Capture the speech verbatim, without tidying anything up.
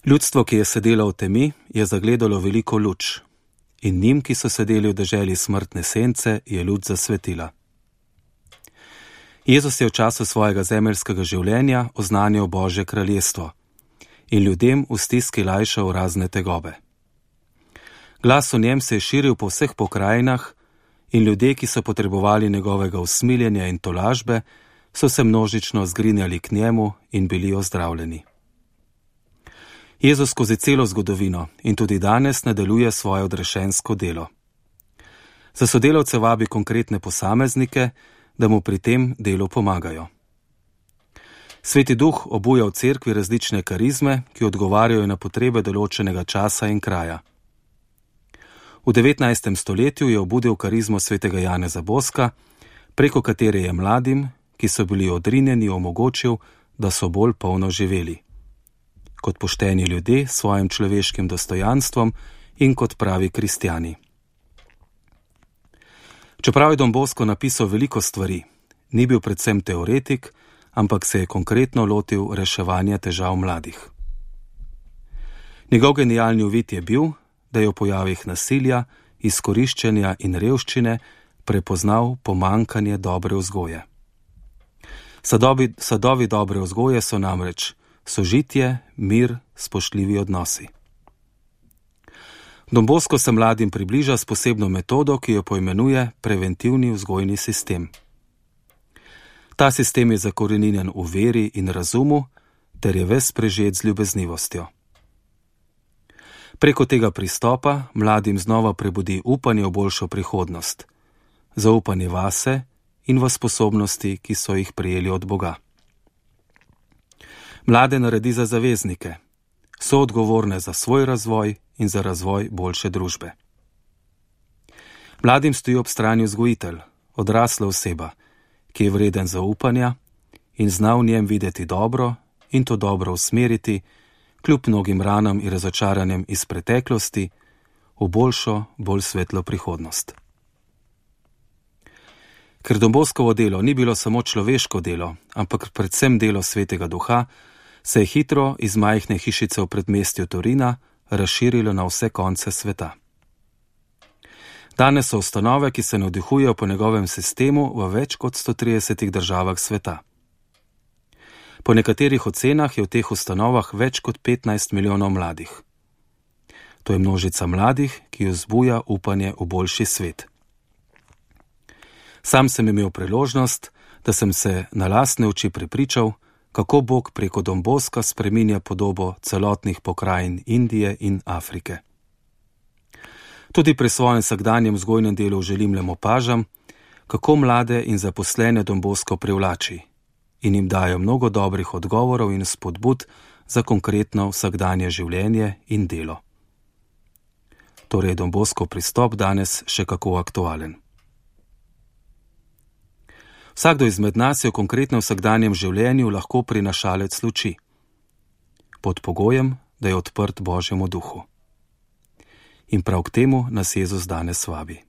Ljudstvo, ki je sedelo v temi, je zagledalo veliko luč, in njim, ki so sedeli v deželi smrtne sence, je luč zasvetila. Jezus je v času svojega zemeljskega življenja oznanjal Božje kraljestvo in ljudem v stiski lajšal razne tegobe. Glas o njem se je širil po vseh pokrajinah in ljudje, ki so potrebovali njegovega usmiljenja in tolažbe, so se množično zgrinjali k njemu in bili ozdravljeni. Jezus skozi celo zgodovino in tudi danes nadaljuje svoje odrešensko delo. Za sodelavce vabi konkretne posameznike, da mu pri tem delu pomagajo. Sveti Duh obuja v cerkvi različne karizme, ki odgovarjajo na potrebe določenega časa in kraja. V devetnajstem stoletju je obudil karizmo svetega Janeza Boska, preko katere je mladim, ki so bili odrinjeni, omogočil, da so bolj polno živeli. Kot pošteni ljudje s svojim človeškim dostojanstvom in kot pravi kristjani. Čeprav je Don Bosco napisal veliko stvari, ni bil predvsem teoretik, ampak se je konkretno lotil reševanja težav mladih. Njegov genialni uvid je bil, da je v pojavih nasilja, izkoriščenja in revščine prepoznal pomanjkanje dobre vzgoje. Sadovi, sadovi dobre vzgoje so namreč sožitje, mir, spoštljivi odnosi. Don Bosco se mladim približa s posebno metodo, ki jo poimenuje preventivni vzgojni sistem. Ta sistem je zakoreninjen v veri in razumu, ter je ves prežet z ljubeznivostjo. Preko tega pristopa mladim znova prebudi upanje v boljšo prihodnost, zaupanje vase in v sposobnosti, ki so jih prejeli od Boga. Mlade naredi za zaveznike, so odgovorne za svoj razvoj in za razvoj boljše družbe. Mladim stoji ob strani vzgojitelj, odrasla oseba, ki je vreden zaupanja in zna v njem videti dobro in to dobro usmeriti, kljub mnogim ranam in razočaranjem iz preteklosti, v boljšo, bolj svetlo prihodnost. Ker Don Boscovo delo ni bilo samo človeško delo, ampak predvsem delo Svetega Duha, se je hitro iz majhne hišice v predmestju Torina razširilo na vse konce sveta. Danes so ustanove, ki se navdihujejo po njegovem sistemu v več kot sto tridesetih državah sveta. Po nekaterih ocenah je v teh ustanovah več kot petnajst milijonov mladih. To je množica mladih, ki vzbuja upanje v boljši svet. Sam sem imel priložnost, da sem se na lastne oči prepričal, kako Bog preko Don Bosca spreminja podobo celotnih pokrajin Indije in Afrike. Tudi pri svojem vsakdanjem vzgojnem delu želim le opažam, kako mlade in zaposlene Don Bosco privlači in jim dajo mnogo dobrih odgovorov in spodbud za konkretno vsakdanje življenje in delo. Torej je Don Boscov pristop danes še kako aktualen. Vsakdo izmed nas je v konkretnem vsakdanjem življenju lahko prinašalec luči, pod pogojem, da je odprt Božjemu duhu. In prav k temu nas Jezus danes vabi.